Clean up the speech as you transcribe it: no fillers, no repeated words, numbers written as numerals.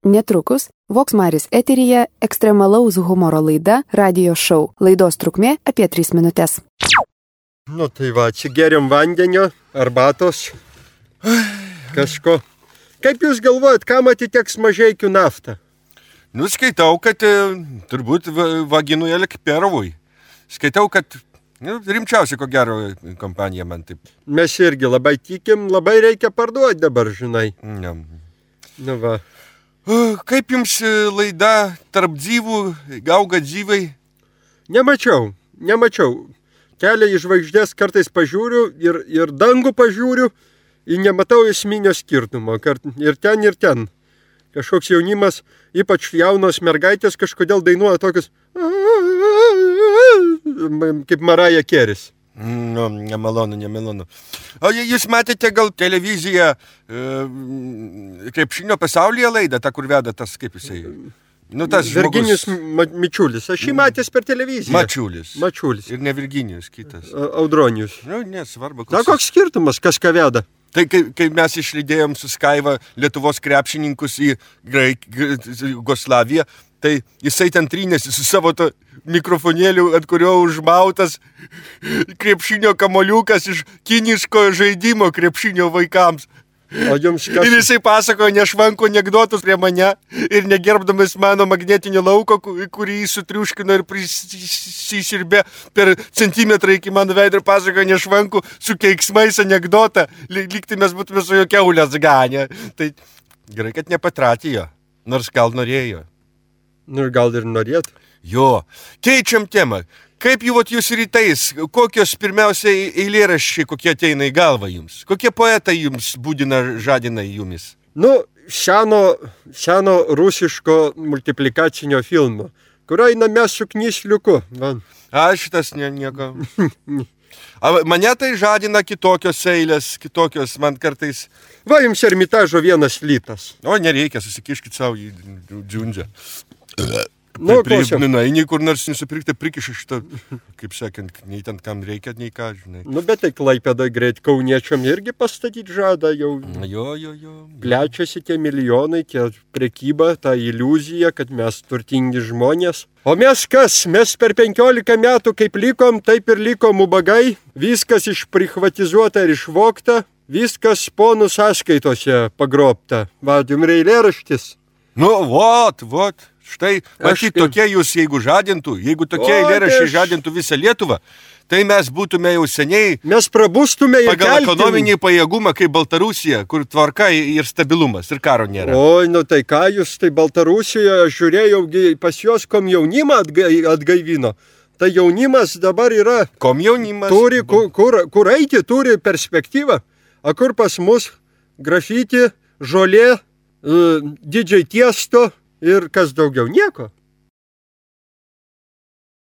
Netrukus Voksmaris eteryje ekstremalaus humoro laida Radio Show. Laidos trukmė apie 3 minutės. Nu tai va, čia geriam vandenio, arbatos, kažko. Kaip jūs galvojat, kam atiteks Mažeikių naftą? Nu, skaitau, kad turbūt Vaginui Elekperovui. Skaitau, kad rimčiausia, ko gero, kompanija man taip. Mes irgi labai tikim, labai reikia parduoti dabar, žinai. Ne. Nu va. Kaip jums laida Tarp dzyvų, auga dzyvai? Nemačiau. Kelią į žvaigždės kartais pažiūriu ir dangų pažiūriu ir nematau esminio skirtumo. Ir ten. Kažkoks jaunimas, ypač jaunos mergaitės, kažkodėl dainuoja tokius kaip Mariah Carey. Nu, nemalonu. O jūs matėte gal televiziją krepšinio pasaulyje laidą, tą, kur veda tas, kaip jisai? Nu, tas Virginijus Mičiulis. Aš jį matęs per televiziją. Mačiulis. Ir ne Virginijus, kitas. Audronijus. Nu, nesvarbu. Na, koks skirtumas, kas ką veda? Tai kai mes išlydėjom su Skaiva Lietuvos krepšininkus į Jugoslaviją, tai jisai ten trynėsi su savo to mikrofonėliu, ant kurio užmautas krepšinio kamoliukas iš kiniško žaidimo krepšinio vaikams. O jums kas? Ir jisai pasakojo nešvanko anekdotus prie mane ir negerbdamas mano magnetinio lauko, kurį jis sutriuškino ir prisiširbė per centimetrą iki mano veido ir pasakojo nešvanko su keiksmais anekdotą, lygtai mes būtume su jo kiaulės ganę. Tai gerai, kad nepatratėjo, nors gal norėjo. Nu ir gal ir norėtų. Jo, keičiam temą. Kaip jūs rytais, kokios pirmiausiai eilėraščiai, kokie ateina į galvą jums? Kokie poetai jums būdina, žadina jumis? Nu, seno rusiško multiplikacinio filmo, kur einame su knysliuku. A, šitas nieko. Mane tai žadina kitokios eilės, man kartais. Va, jums Ermitažo 1 litas. O, nereikia, susikiškit savo į džiundžią. Eini kur nors nusipirkti, prikiši šitą, kaip sakant, nei ten kam reikia, nei ką, žinai. Nu, bet tai Klaipėdoj greit kauniečiam irgi pastatyti žada jau. Jo. Plečiasi tie milijonai, tie prekyba, ta iliuzija, kad mes turtingi žmonės. O mes kas? Mes per 15 metų kaip likom, taip ir likom ubagai. Viskas išprichvatizuota ir išvogta. Viskas ponų sąskaitose pagrobta. Va, jums eilėraštis. Nu, vot. Štai, matyt, tokie jūs, jeigu tokie eilėraščiai žadintų visą Lietuvą, tai mes būtume jau seniai mes prabustume ir pagal ekonominį pajėgumą kaip Baltarusija, kur tvarka ir stabilumas ir karo nėra. Oi, nu tai ką jūs, tai Baltarusijoje, aš žiūrėjau, pas juos komjaunimą atgaivino. Tai jaunimas dabar yra. Komjaunimas. Turi, kur eiti, turi perspektyvą. O kur pas mus grafiti, žolė, didžiai tiesto. Ir kas daugiau? Nieko.